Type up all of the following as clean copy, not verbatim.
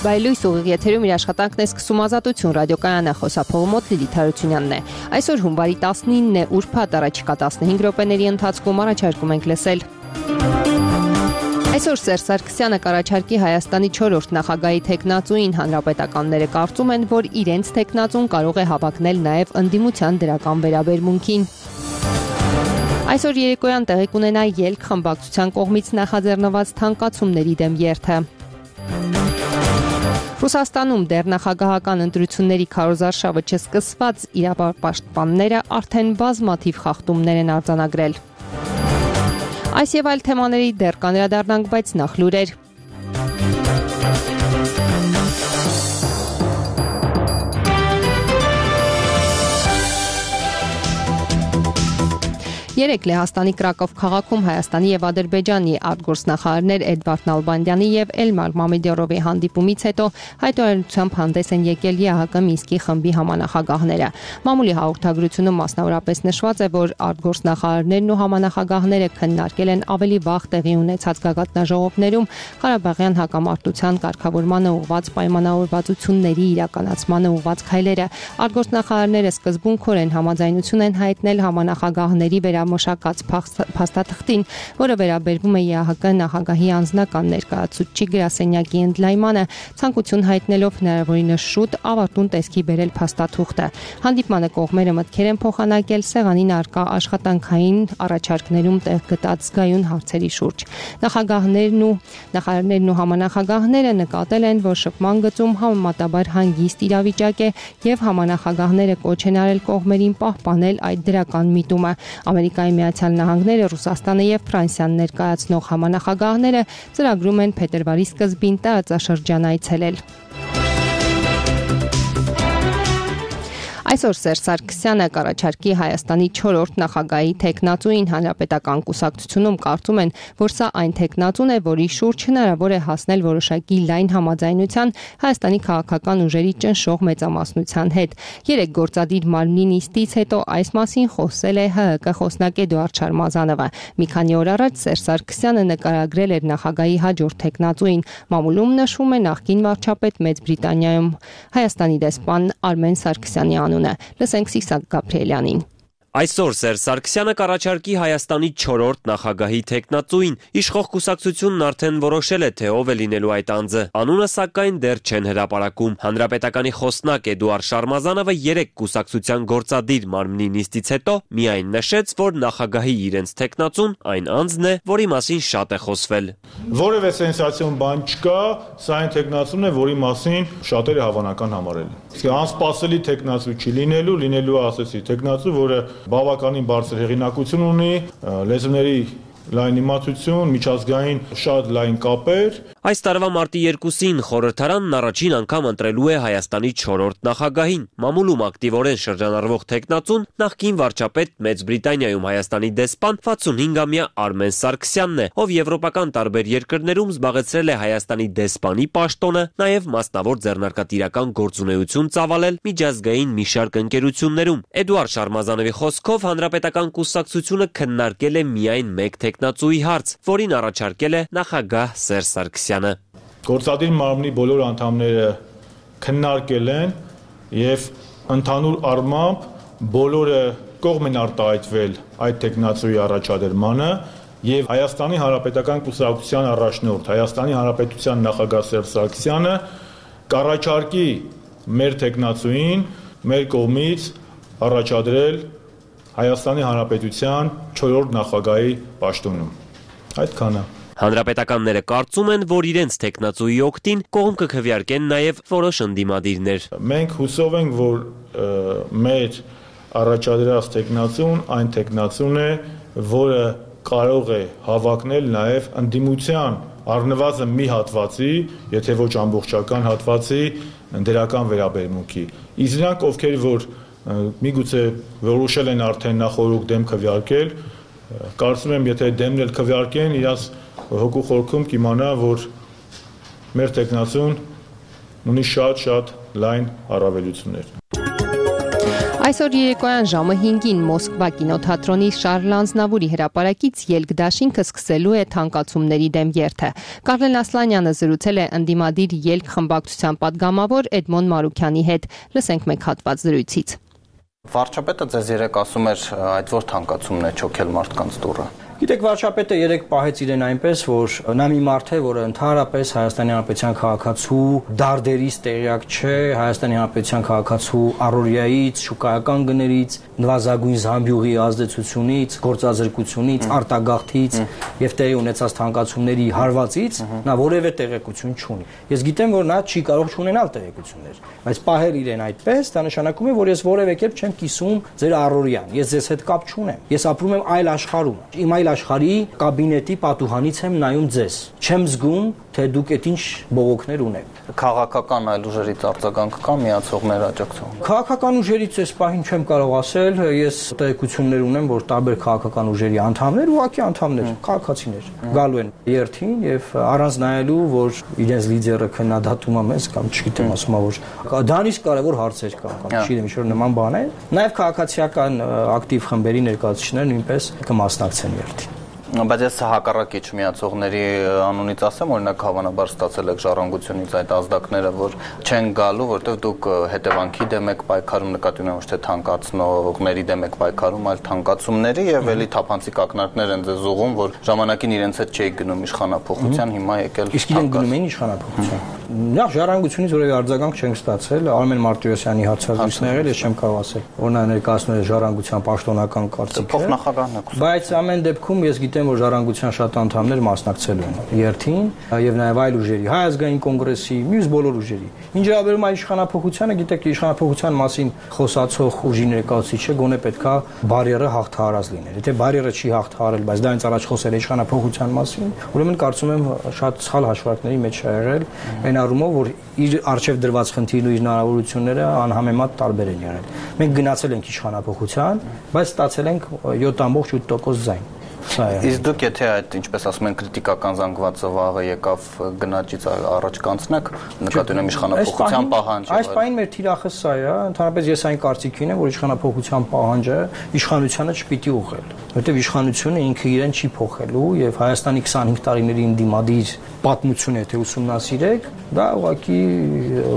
Բայլույս ուղիղ եթերում իր աշխատանքն է սկսում Ազատություն ռադիոկայանը, խոսափողը մոտ Լիլիթ Հարությունյանն է։ Այսօր հունվարի 19-ն է, ուրբաթ, առաջիկա 15 րոպեների ընթացքում առաջարկում ենք լսել։ Այսօր Սերժ Սարգսյանը կառաջարկի Հայաստանի 4-րդ նախագահի թեկնածուին, հանրապետականները կարծում են, որ իրենց թեկնածուն կարող է հավակնել նաև ընդդիմության դրական վերաբերմունքին։ Այսօր երեկոյան տեղի կունենա ելք խմբակցության կողմից նախաձեռնված թանկացումների դեմ երթը։ Ռուսաստանում դեռ նախագահական ընտրությունների քարոզարշավը չսկսված իրավապաշտպանները արդեն բազմաթիվ խախտումներ են արձանագրել։ Այս եւ այլ թեմաների դեռ կանրադառնանք, բայց նախ լուրեր։ Երեկ Լեհաստանի Կրակով քաղաքում Հայաստանի եւ Ադրբեջանի արտգործնախարարներ Էդվարդ Նալբանդյանի եւ Էլմար Մամեդյարովի հանդիպումից հետո հայտարարությամբ հանդես են եկել ԵԱՀԿ Մինսկի խմբի համանախագահները։ Մամուլի հաղորդագրությունում մասնավորապես նշված է, որ արտգործնախարարներն ու համանախագահները քննարկել են ավելի վաղ տեղի ունեցած գագաթնաժողովներում Ղարաբաղյան հակամարտության կարգավորմանը ուղղված պայմանավորվածությունների իրականացմանը ուղղված քայլերը։ Արտգործնախարարները սկզբունքորեն համաձայնություն են հայտնել համանախագահների մշակած փաստաթղթին, որը վերաբերվում է ԵԱՀԿ նախագահի անձնական ներկայացուցչի գրասենյակի ընդլայնմանը, ցանկություն հայտնելով հնարավորինս շուտ ավարտուն տեսքի բերել փաստաթուղթը։ Հանդիպմանը կողմերը մտքեր են փոխանակել սեղանին առկա աշխատանքային առաջարկներում տեղ գտած զգայուն հարցերի շուրջ։ Նախարարներն ու համանախագահները նկատել են, որ շփման գծում համեմատաբար հանգիստ իրավիճակ է եւ համանախագահները կոչ են արել կողմերին պահպանել այդ դրական միտումը։ Ամերիկայի Միացյալ Նահանգները, Ռուսաստանը եւ Ֆրանսիան ներկայացնող համանախագահները ծրագրում են փետրվարի սկզբին տարածաշրջան այցելել։ Այսօր Սերժ Սարգսյանը կառաջարկի Հայաստանի 4-րդ նախագահի թեկնածուին, հանրապետական կուսակցությունում կարծում են, որ սա այն թեկնածուն է, որի շուրջ հնարավոր է հասնել որոշակի լայն համաձայնության Հայաստանի քաղաքական ուժերի ճնշող մեծամասնության հետ։ Երեք գործադիր մարմնի նիստից հետո այս մասին խոսել է ՀՀԿ խոսնակ Էդուարդ Շարմազանովը։ Մի քանի օր առաջ Սերժ Սարգսյանը նկարագրել էր նախագահի հաջորդ թեկնածուին։ Մամուլում նշվում է նախկին վարչապետ Մեծ Բրիտանիայում Հայաստանի դեսպան Արմեն Սարգսյանի անունը։ Լսենք Սիսակ Գաբրիելյանին։ Այսօր Սերժ Սարգսյանը կառաջարկի Հայաստանի 4-րդ նախագահի թեկնածուին։ Իշխող կուսակցությունն արդեն որոշել է, թե ով է լինելու այդ անձը։ Անունը սակայն դեռ չեն հրապարակում։ Հանրապետականի խոսնակ Էդուարդ Շարմազանովը երեք կուսակցության գործադիր մարմնի նիստից հետո միայն նշեց, որ նախագահի իրենց թեկնածուն այն անձն է, որի մասին շատ է խոսվել։ Որևէ սենսացիոն բան չկա, սա այն թեկնածուն է, որի մասին շատերը հավանական համարել են։ Իսկ անսպասելի թեկնածու չի լինելու ասեցի թեկնածու, որը բավականին բարձր հեղինակություն ունի, լեզուների լայն իմացություն, միջազգային շատ լայն կապեր։ Այս տարվա մարտի 2-ին խորհրդարանն առաջին անգամ ընտրելու է Հայաստանի 4-րդ նախագահին։ Մամուլում ակտիվորեն շրջանառվող թեկնածուն նախկին վարչապետ Մեծ Բրիտանիայում Հայաստանի դեսպան 65-ամյա Արմեն Սարգսյանն է, ով եվրոպական տարբեր երկրներում զբաղեցրել է Հայաստանի դեսպանի պաշտոնը, նաև մասնավոր ձեռնարկատիրական գործունեություն ծավալել միջազգային մի շարք ընկերություններում։ Էդուարդ Շարմազանովի խոսքով հանրապետական կուսակցությունը քննարկել է միայն մեկ թեկնածուի հարց, որին առաջարկել է նախագահ Սերժ Սարգսյանը։ Գործադիր մարմնի բոլոր անդամները քննարկել են եւ ընդհանուր առմամբ բոլորը կողմ են արտահայտվել այդ թեկնածուի առաջադրմանը եւ Հայաստանի Հանրապետական կուսակցության առաջնորդ, Հայաստանի Հանրապետության նախագահ Սերժ Սարգսյանը կառաջարկի մեր թեկնածուին մեր կողմից առաջադրել Հայաստանի Հանրապետության 4-րդ նախագահի պաշտոնում։ Այդքանը։ Հանրապետականները կարծում են, որ իրենց թեկնածուի օգտին կողմ կքվեարկեն նաև որոշ ընդդիմադիրներ։ Մենք հուսով ենք, որ մեր առաջադրած թեկնածուն այն թեկնածուն է, որը կարող է հավակնել նաև ընդդիմության առնվազն մի հատվածի, եթե ոչ ամբողջական հատվածի դրական վերաբերմունքի։ Իսկ նրանք, ովքեր որ միգուցե որոշել են արդեն նախորդ դեմ քվեարկել, կարծում եմ, եթե դեմն էլ քվեարկեն, իրաց հոգու խորքում կիմանա, որ մեր թեկնածուն ունի շատ լայն առավելություններ։ Այսօր երեկոյան ժամը 5-ին Մոսկվա կինոթատրոնի Շարլ Ազնավուրի հրապարակից ելք դաշինքը սկսելու է թանկացումների դեմ երթը։ Կարլեն Ասլանյանը զրուցել է ընդդիմադիր ելք խմբակցության падգամավոր Էդմոն Մարուքյանի հետ։ Լսենք մեկ հատված զրույցից։ Վարչապետը ձեզ երեք ասում էր, այդ որ թանկացումն է չոքել մարդկանց դուռը։ Գիտեք, վարչապետը երեք պահեց իրեն այնպես, որ նա մի մարդ է, որը ընդհանրապես Հայաստանի Հանրապետության քաղաքացու դարդերից տեղյակ չէ, Հայաստանի Հանրապետության քաղաքացու առօրյայից, շուկայական գներից, նվազագույն զամբյուղի ազդեցությունից, գործազրկությունից, արտագաղթից եւ տեղի ունեցած թանկացումների հարվածից նա որևէ տեղեկություն չունի։ Ես գիտեմ, որ նա չի կարող չունենալ տեղեկություններ, բայց պահել իրեն այդպես, դա նշանակում է, որ ես որևէ կերպ չեմ կիսում ձեր առօրյան, ես ձեզ հետ կապ չունեմ, ես ապրում եմ այլ աշխարհում, իմ այլ աշխարհի կաբինետի պատուհանից եմ նայում ձեզ, չեմ զգում, թե դուք այդ ինչ բողոքներ ունեք։ Քաղաքական այլ ուժերից արձագանք կա միացողներ աջակցող։ Քաղաքական ուժերից այս պահին չեմ կարող ասել, ես տեղեկություններ ունեմ, որ տարբեր քաղաքական ուժերի անդամներ, ուղղակի անդամներ, քաղաքացիներ գալու են երթին եւ առանց նայելու, որ իրենց լիդերը քննադատում է մեզ կամ չգիտեմ, ասում է, որ դրանից կարևոր հարցեր կան, կամ չգիտեմ, ինչ-որ նման բան է։ Նաեւ քաղաքացիական ակտիվ խմբերի ներկայացուցիչները նույնպես կմասնակցեն երթին։ Բայց ես հակառակի չմիացողների անունից ասեմ, օրինակ հավանաբար ստացել եք ժառանգությունից այդ ազդակները, որ չեն գալու, որտեղ դուք հետևանքի դեմ եք պայքարում, նկատի ունեմ ոչ թե թանկացնողների դեմ եք պայքարում, այլ թանկացումների եւ էլի թափանցիկ ակնարկներ են ձեզ ուղում, որ ժամանակին իրենց հետ չէիք գնում իշխանափոխության, հիմա եկել։ Իսկ իրենք գնում են իշխանափոխության։ Նախ ժառանգությունից որևէ արձագանք չենք ստացել, Արմեն Մարտիրոսյանի հարցազրույցն եղել, ես չեմ կարող ասել, որ նա ներկայացնում է ժառանգության պաշտոնական կարծիքը։ Փոխնախագահն է։ Բայց ամեն դեպքում ես գիտեմ, որ ժառանգության շատ անդամներ մասնակցելու են երթին եւ նաեւ այլ ուժերի, Հայ ազգային կոնգրեսի, մյուս բոլոր ուժերի։ Ինչ վերաբերում է իշխանափոխությանը, գիտեք, իշխանափոխության մասին խոսացող ուժի ներկայացուցիչը գոնե պետքա բարիերը հաղթահարած լիներ։ Եթե բարիերը չի հաղթահարել, բայց դա ինձ առաջ խոսել է իշխանափոխության մասին, ուրեմն կարծում եմ շատ սխալ հաշվարկների մեջ է եղել, այն առումով, որ իր արժեվ դրված խնդիրն ու իր հնարավորությունները անհամեմատ տարբեր են եղել։ Մենք գնացել ենք իշխանափոխության, բայց ստացել ենք 7.8% ձայն։ Իսկ դուք եթե այդ ինչպես ասում են քրիտիկական զանգվածը վաղը եկավ գնաճից առաջ կանցնեք, նկատի ունեմ իշխանափոխության պահանջը։ Այս պահին մեր թիրախը սա է, ընդհանրապես ես այն կարծիքին եմ, որ իշխանափոխության պահանջը իշխանությանը չպիտի ուղղել, որտեղ իշխանությունը ինքը իրեն չի փոխելու եւ Հայաստանի 25 տարիների ընդդիմադիր պատմությունը եթե ուսումնասիրեք, դա ուղղակի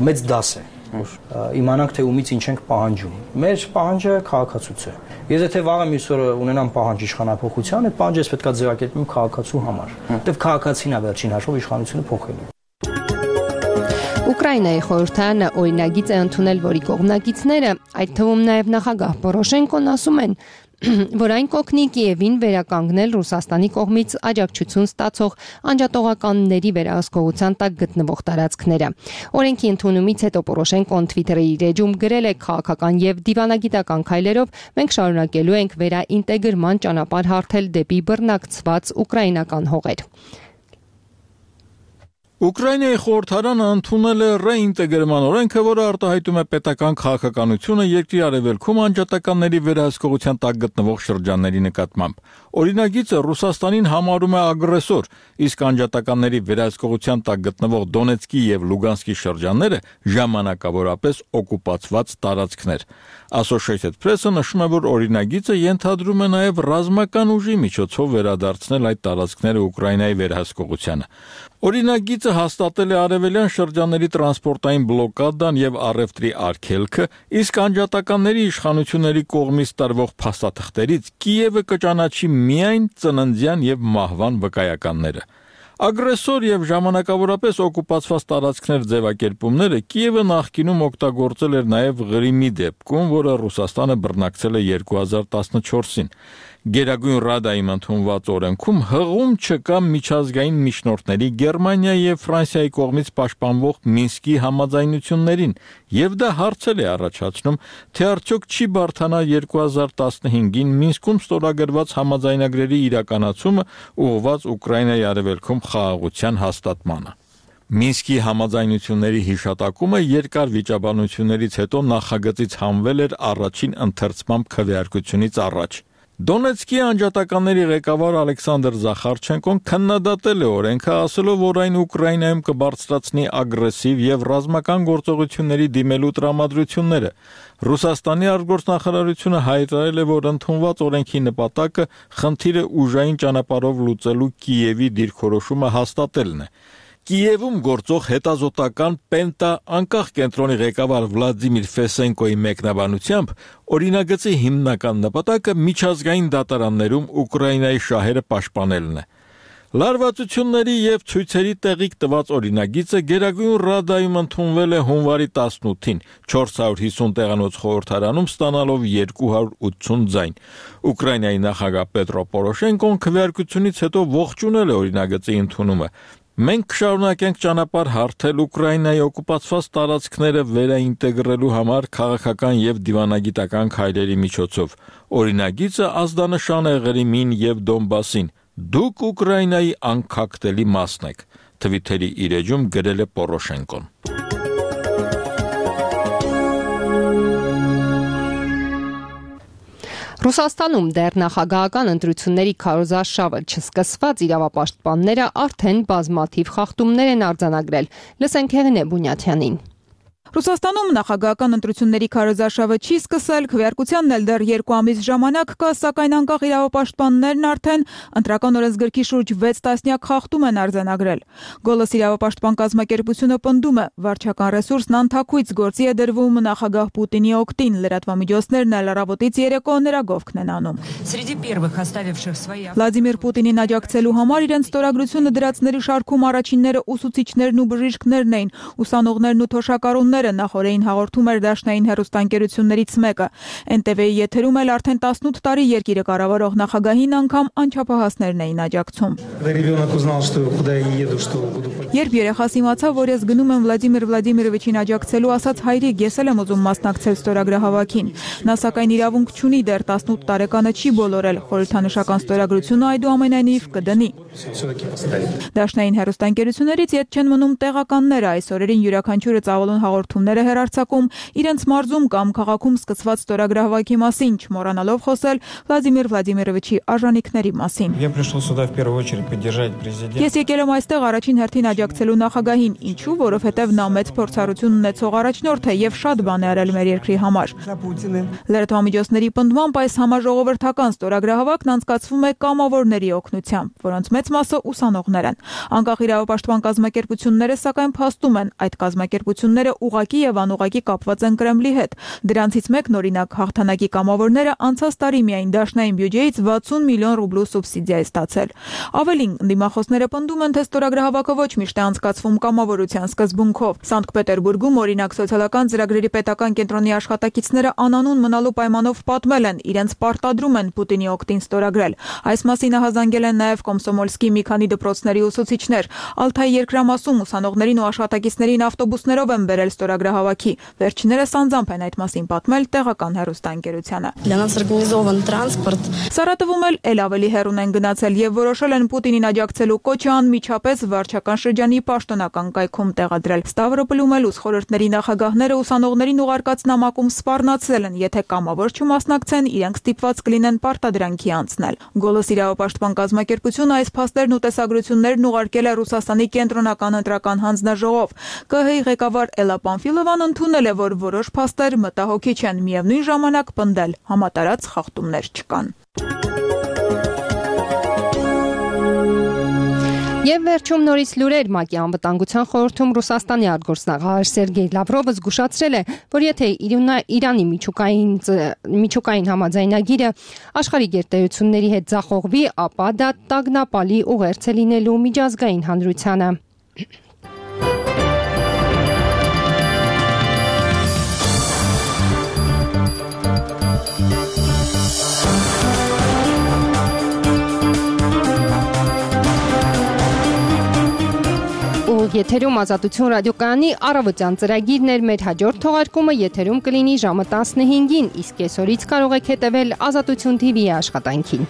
մեծ դաս է։ Իմանանք թե ումից ինչ ենք պահանջում։ Մեր պահանջը քաղաքացուց է։ Ես եթե վաղը մյուս օրը ունենամ պահանջ իշխանափոխության, այդ պահանջը պետք է ձևակերպեմ քաղաքացու համար։ Որտեվ քաղաքացին է վերջին հաշվով իշխանությունը փոխելու։ Ուկրաինայի խորհրդարանը օրինագիծ է ընդունել, որի կողմնակիցները, այդ թվում նաև նախագահ Պորոշենկոն ասում են, որ այն կօգնի Կիևին վերականգնել Ռուսաստանի կողմից աջակցություն ստացող անջատողականների վերահսկողության տակ գտնվող տարածքները։ Օրենքի ընդունումից հետո Պորոշենկոն Twitter-ի իր էջում գրել է քաղաքական եւ դիվանագիտական քայլերով մենք շարունակելու ենք վերաինտեգրման ճանապարհ հարթել դեպի բռնակցված ուկրաինական հողեր։ Ուկրաինայի խորհրդարանը ընդունել է ռեինտեգրման օրենքը, որը արտահայտում է պետական քաղաքականությունը երկրի արևելքում անջատականների վերահսկողության տակ գտնվող շրջանների նկատմամբ։ Օրինագիծը Ռուսաստանին համարում է ագրեսոր, իսկ անջատականների վերահսկողության տակ գտնվող Դոնեցկի եւ Լուգանսկի շրջանները ժամանակավորապես օկուպացված տարածքներ։ Associated Press-ը նշում է, որ օրինագիծը ենթադրում է նաև ռազմական ուժի միջոցով վերադարձնել այդ տարածքները Ուկրաինայի վերահսկողությանը։ Օրինագիծը հաստատել է արևելյան շրջանների տրանսպորտային բլոկադան եւ առևտրի արգելքը, իսկ անջատականների իշխանությունների կողմից տարվող փաստաթղթերից Կիևը կճանաչի միայն ծննդյան եւ մահվան վկայականները։ Ագրեսոր եւ ժամանակավորապես օկուպացված տարածքներ ձևակերպումները Կիևը նախկինում օգտագործել էր նաեւ Ղրիմի դեպքում, որը Ռուսաստանը բռնակցել է 2014-ին։ Գերագույն Ռադայում ընդունված օրենքում հղում չկա միջազգային միջնորդների Գերմանիայի եւ Ֆրանսիայի կողմից պաշտպանվող Մինսկի համաձայնություններին, եւ դա հարցել է առաջացնում, թե արդյոք չի բարթանա 2015-ին Մինսկում ստորագրված համաձայնագրերի իրականացումը ուղղված Ուկրաինայի արևելքում խաղաղության հաստատմանը։ Մինսկի համաձայնությունների հիշատակումը երկար վիճաբանություններից հետո նախագծից հանվել էր առաջին ընթերցման քվեարկությունից առաջ։ Դոնեցկի անջատականների ղեկավար Ալեքսանդր Զախարչենկոն քննադատել է օրենքը, ասելով, որ այն Ուկրաինայում կբարձրացնի ագրեսիվ եւ ռազմական գործողությունների դիմելու տրամադրությունները։ Ռուսաստանի արտգործնախարարությունը հայտարարել է, որ ընդունված օրենքի նպատակը խնդիրը ուժային ճանապարհով լուծելու Կիևի դիրքորոշումը հաստատելն է։ Կիևում գործող հետազոտական Պենտա անկախ կենտրոնի ղեկավար Վլադիմիր Ֆեսենկոյի մեկնաբանությամբ օրինագծի հիմնական նպատակը միջազգային դատարաններում Ուկրաինայի շահերը պաշտպանելն է։ Լարվածությունների եւ ցույցերի տեղիք տված օրինագիծը Գերագույն Ռադայում ընդունվել է հունվարի 18-ին 450 տեղանոց խորհրդարանում ստանալով 280 ձայն։ Ուկրաինայի նախագահ Պետրո Պորոշենկոն քվեարկությունից հետո ողջունել է օրինագծի ընդունումը։ Մենք կշարունակենք ճանապարհ հարթել Ուկրաինայի օկուպացված տարածքները վերաինտեգրելու համար քաղաքական եւ դիվանագիտական քայլերի միջոցով։ Օրինագիծը ազդանշան է Ղրիմին եւ Դոնբասին։ Դուք Ուկրաինայի անկախտելի մասն եք, Թվիթերի իր էջում գրել է Պորոշենկոն։ Ռուսաստանում դեռ նախագահական ընտրությունների քարոզարշավը չսկսված իրավապաշտպանները արդեն բազմաթիվ խախտումներ են արձանագրել։ Լսենք Հեղինե Բունյաթյանին։ Ռուսաստանում նախագահական ընտրությունների քարոզարշավը չի սկսել, քվեարկությանն էլ դեռ 2 ամիս ժամանակ կա, սակայն անկախ իրավապաշտպաններն արդեն ընտրական օրենսգրքի շուրջ 6 տասնյակ խախտում են արձանագրել։ Գոլոս իրավապաշտպան կազմակերպությունը պնդում է, վարչական ռեսուրսն անթաքույց գործի է դրվում նախագահ Պուտինի օգտին, լրատվամիջոցներն էլ առավոտից երեկո նրա գովքն են անում։ Վլադիմիր Պուտինին աջակցելու համար իրենց ստորագրությունը դրածների շարքում առաջինները ուսուցիչներն ու բժիշկներն էին, ուսանողներն ու թոշակառուները նախորդին հաղորդում էր դաշնային հեռուստաընկերություններից մեկը։ NTV-ի եթերում էլ արդեն 18 տարի երկիրը կառավարող նախագահին անգամ անչափահասներն էին աջակցում։ Երբ երեխաս իմացավ, որ ես գնում եմ Վլադիմիր Վլադիմիրովիչին աջակցելու, ասաց հայրիկ, ես էլ եմ ուզում մասնակցել ստորագրահավաքին։ Նա սակայն իրավունք չունի, դեռ 18 տարեկանը չի բոլորել, խորհրդանշական ստորագրությունը այդուամենայնիվ կդնի։ Դաշնային հեռուստաընկերություններից ետ չեն մնում տեղականները, այս օրերին յուրաքանչյուրը ծավալուն հաղորդումներ է հեռարձակում իրենց մարզում կամ քաղաքում սկսված ստորագրահավաքի մասին, չմոռանալով խոսել Վլադիմիր Վլադիմիրովիչի արժանինքների մասին։ Ես եկել եմ այստեղ առաջին հերթին աջակցելու նախագահին, ինչու, որովհետև նա մեծ փորձառություն ունեցող առաջնորդ է եւ շատ բան է արել մեր երկրի համար։ Լրատվամիջոցների պնդմամբ այս համաժողովրդական ստորագրահավաքն անցկացվում է կամավորների օգնությամբ, որոնց մեծ մասը ուսանողներ են։ Անկախ իրավապաշտպան կազմակերպությունները սակայն փաստում են, այդ կազմակերպությունները ուղղակի եւ անուղղակի կապված են Կրեմլի հետ։ Դրանցից մեկն օրինակ հաղթանակի կամավորները անցած տարի միայն դաշնային բյուջեից 60 միլիոն ռուբլու սուբսիդիա է ստացել։ Ավելին, ընդդիմախոսները պնդում են, թե ստորագրահավաքը ոչ միշտ է անցկացվում կամավորության սկզբունքով։ Սանկտ Պետերբուրգում օրինակ սոցիալական ծրագրերի պետական կենտրոնի աշխատակիցները անանուն մնալու պայմանով պատմել են, իրենց պարտադրում են Պուտինի օգտին ստորագրել։ Այս մասին հազանգել են նաև Կոմսոմոլսկի մի քանի դպրոցների ուսուցիչներ։ Ալթայի երկրամասում ուսանողներին ու աշխատակիցներին ավտոբուսներով են բերել ստորագրահավաքի։ Վերջիններս անձամբ են այդ մասին պատմել տեղական հեռուստաընկերությանը։ Սարատովում էլ ավելի հեռուն են գնացել եւ որոշել են Պուտինին աջակցելու կոչը անմիջապես վարչական շրջանի պաշտոնական կայքում տեղադրել։ Ստավրոպոլում էլ ուսխորհրդների նախագահները ուսանողներին ուղարկած նամակում սպառնացել են, եթե կամավոր չմասնակցեն, իրենք ստիպված կլինեն պարտադրանքի անցնել։ Գոլոս իրավապաշտպան կազմակերպությունը այս փաստերն ու տեսագրություններն ուղարկել է Ռուսաստանի կենտրոնական ընտրական հանձնաժողով։ ԿՀ-ի ղեկավար Էլա Պանֆիլովան ընդունել է, որ որոշ փաստեր մտահոգիչ են, միևնույն ժամանակ պնդել համատարած խախտումներ չկան։ Եվ վերջում նորից լուրեր ՄԱԿ-ի անվտանգության խորհրդում Ռուսաստանի արտգործնախարար Սերգեյ Լավրովը զգուշացրել է, որ եթե Իրանի միջուկային համաձայնագիրը աշխարհի գերտերությունների հետ ձախողվի, ապա դա տագնապալի ուղերձ է լինելու միջազգային հանրությանը։ Եթերում Ազատություն ռադիոկայանի առավոտյան ծրագիրն էր, մեր հաջորդ թողարկումը եթերում կլինի ժամը 15-ին, իսկ այսօրից կարող եք հետևել Ազատություն TV-ի աշխատանքին։